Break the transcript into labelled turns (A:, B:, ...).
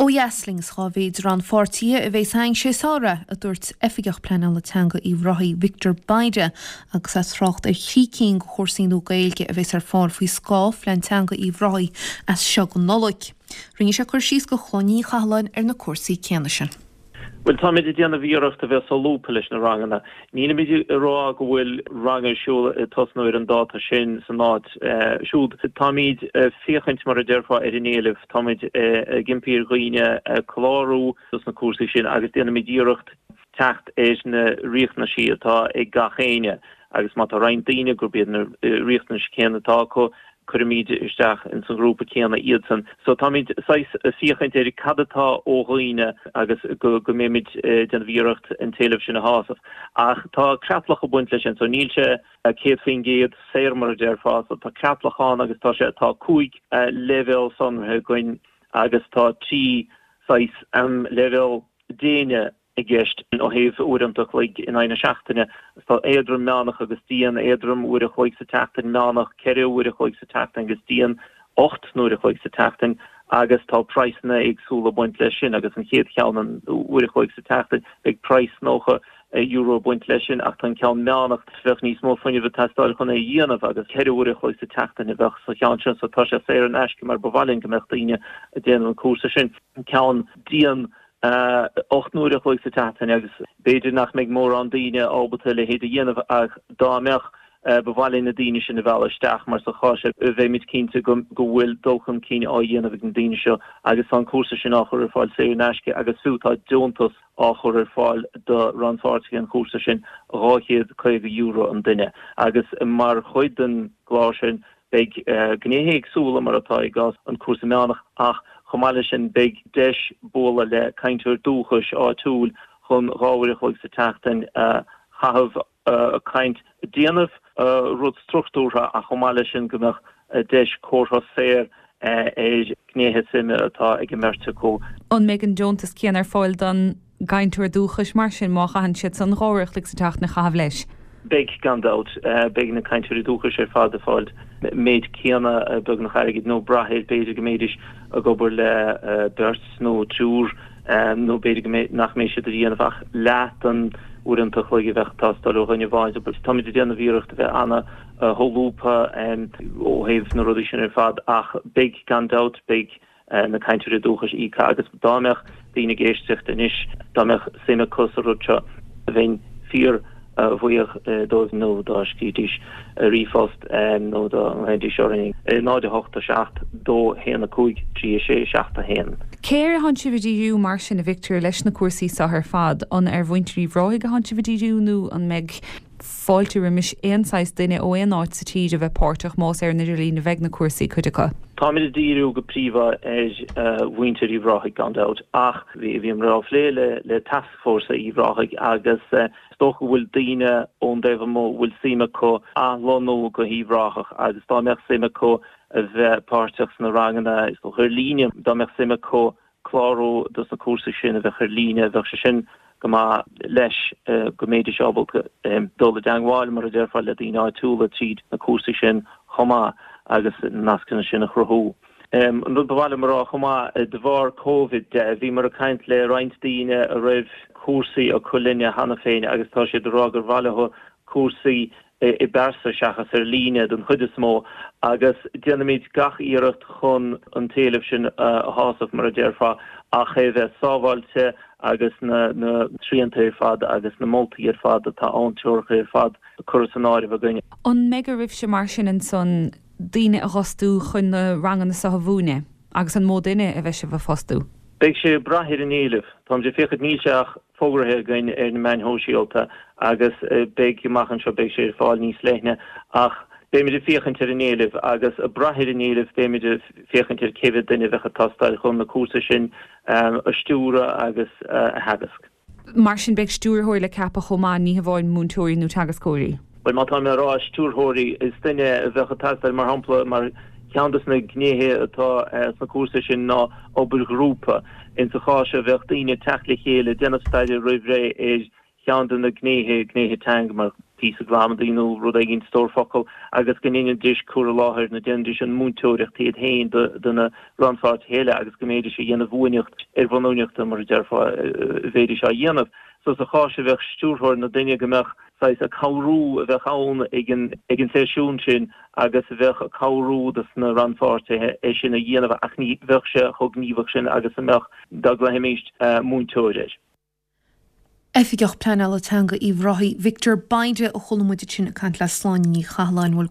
A: Ó dheas linn is dhá mhéid rannpháirtithe a bheas againn sé samhradh, a dúirt Oifigeach Pleanála Teanga Uíbh Ráthaigh, Victor Bayda, agus é ag trácht ar thrí cinn de chúrsaí nua Gaeilge a bheas ar fáil faoi scáth Phlean Teanga Uíbh Ráthaigh as seo go Nollaig. Rinne sé cur síos do Chlódhna Ní Chathalláin ar na cúrsaí céanna sin.
B: Bhuel, táimid ag déanamh iarracht a bheith solúbtha leis na ranganna. Nílimid ag rá go bhfuil rang ar siúl ag tosnú ar an dáta sin san áit siúd. Táimid ag féachaint, mar a déarfá, ar an éileamh. Táimid ag impí ar dhaoine clárú dos na cúrsaí sin agus déanaimid iarracht teacht ar na riachtanaisí atá ag gach éinne agus má tá roinnt daoine gurb iad na riachtanais céanna atá acu, cuirimid isteach ins an ghrúpa céanna iadsan. So táimid saghas ag féachaint ar cad atá ó dhaoine agus go go mbeimid ag déanamh iarracht an t-éileamh sin a shásamh. Ach tá creatlach ag baint leis sin, so níl sé 100% saor mar a déarfá, so tá creatlach ann agus tá sé, tá 5 leibhéal sonraithe againn agus tá 3 saghas leibhéal déine i gceist ó thaobh uaireanta a chloig in aghaidh na seachtaine. Tá éadrom, meánach agus dian, éadrom uair a chloig sa tseachtain, meánach 4 uair a chloig sa tseachtain agus dian 8 n-uair a chloig sa tseachtain agus tá praghsanna éagsúla ag baint leis sin agus an chéad cheann an uair a chloig sa tseachtain beidh praghas €90 ag baint leis sin ach tá an ceann meánach bheadh níos mó fuinnimh ag teastáil chun é a dhéanamh agus 4 uair a chloig sa tseachtain a bheadh sa cheann sin so tá sé saor in aisce mar ba mhaith linn go mbeadh daoine ag déanamh an cúrsa sin. An ceann dian 8 n-uair a chloig sa tseachtain agus b'fhéidir nach mbeidh mórán daoine ábalta a leithéid a dhéanamh ach dá mbeadh, ba mhaith linn na daoine sin a mhealladh isteach mar sa chás sin bheimid cinnte go bhfuil dul chun cinn á dhéanamh ag na daoine seo agus tá an cúrsa sin á chur ar fáil saor in aisce agus fiú tá deontas á chur ar fáil do rannpháirtithe an chúrsa sin, €250 an duine agus mar chuid den gclár sin Beidh gnéithe éagsúla, mar atá i gcás an cúrsa meánach, ach chomh maith leis sin beidh deis bualadh le cainteoir dúchais áitiúil chun 2 uair a chloig sa tseachtain a chaitheamh ag caint, ag déanamh rud struchtúrtha ach chomh maith leis sin go mbeadh deis comhrá saor ar ghnéithe suime atá ag an mbeirt acu.
C: An mbeidh an deontas céanna ar fáil don gcainteoir dúchais mar sin má chaitheann siad san 2 uair a chloig sa tseachtain a chaitheamh leis?
B: Beidh, gan dabht. Beidh na cainteoirí dúchais ar fad ag fáil méid céanna beagnach airgid nó brath air b'fhéidir go mbeidís ag obair le beirt nó triúr nó b'fhéidir go mbeidh nach mbeidh siad ag déanamh ach leath den uaireanta a chloig a bheadh ag teastáil ó dhuine amháin. Táimid ag déanamh iarracht a bheith ana-sholúbtha ó thaobh na rudaí sin ar fad ach beidh, gan dabht, beidh na cainteoirí dúchais íoctha agus dá mbeadh daoine ag éisteacht anois, dá mbeadh suim acu sa rud seo, bheinn fíor bhuíoch dóibh nó dá scríobhaidís ríomhphost nó dá nglaoidís orainn ag 0 8 7 2 1 5 3 6 7 1.
C: Cé air atánn sibh ag díriú mar sin, a Victor, leis na cúrsaí seo ar fad? An ar mhuintir Uíbh Ráthaigh atánn sibh ag díriú nó an mbeidh fáilte roimis aon saghas duine ó aon áit sa tír a bheith páirteach, más ar an idirlíon a bheidh na cúrsaí, cuid acu.
B: Táimid ag díriú go príomha ar mhuintir Uíbh Ráthaigh gan dabht, ach bhíomar á phlé le Tascfhórsa Uíbh Ráthaigh agus is dócha go bhfuil daoine ón dtaobh amuigh a bhfuil suim acu athlonnú go hUíbh Ráthach agus dá mbeadh suim acu a bheith páirteach sna ranganna is dócha ar líne, dá mbeadh suim acu clárú dos na cúrsaí sin a bheadh ar líne, bheadh sé sin go maith leis go mbeidís ábalta dul i dteangmháil, mar a déarfá, le daoine áitiúla tríd na cúrsaí sin chomh maith agus na nascanna sin a chruthú. An rud ba mhaith liom a rá chomh maith, de bharr Covid de, bhíomar ag caint le roinnt daoine a raibh cúrsaí acu linne cheana féin agus tá siad ag rá gur mhaith leo cúrsaí i bpearsa seachas ar líne den chuid is mó agus déanaimid gach iarracht chun an t-éileamh sin a shásamh, mar a déarfá, ach é a bheith sábháilte agus na srianta ar fad agus na moltaí ar fad atá ann, treoracha ar fad curtha san áireamh againn.
C: An mbeidh oraibhse mar sin ansan daoine a dh'fhostú chun na ranganna so a mhúineadh? Agus an mó duine a bheidh sibh a fostú?
B: Beidh sé ag brath ar an éileamh. Táimid ag féachaint, níl sé ach fógraithe againn ar na meáin shóisialta agus beidh amach anseo, beidh sé ar fáil níos leithne ach beimid ag féachaint ar an éileamh agus ag brath ar an éileamh beimid ag féachaint ar cé mhéad duine a bheadh ag teastáil chun na cúrsaí sin a stiúradh agus a theagasc.
C: Mar sin beidh stiúrthóir le ceapadh chomh maith, ní hamháin múinteoirí nó teagascóirí.
B: Bhuel, má tá mé ag rá stiúrthóirí, is duine a bheadh ag teastáil, mar shampla, mar cheann de na gnéithe atá sna cúrsaí sin ná obair ghrúpa. Insa chás seo bheadh daoine ag teacht le chéile, ag déanamh staidéir roimh ré ar cheann de na gnéithe, gnéithe teanga, mar. Píosa gramadaí nó rud éigin, stór focal, agus go ndéanfaidís cur i láthair nó déanfaidís an múinteoireacht iad féin do na rannpháirtithe eile agus go mbéidís a dhéanamh uainíocht ar bhonn uainíochta mar a déarfá a bhéidís á dhéanamh. So sa chás seo bheadh stiúrthóir nó duine go mbeadh saghas ag cabhrú a bheadh ann ag an ag an seisiún sin agus a bheadh ag cabhrú dos na rannpháirtithe é sin a dhéanamh ach ní bheadh sé chomh gníomhach sin agus a mbeadh dá nglaofaimís múinteoir air.
A: Oifigeach Pleanála Teanga Uíbh Ráthaigh, Victor Bayda, a chuala muid ansin ag caint le Sláine Ní Chathalláin.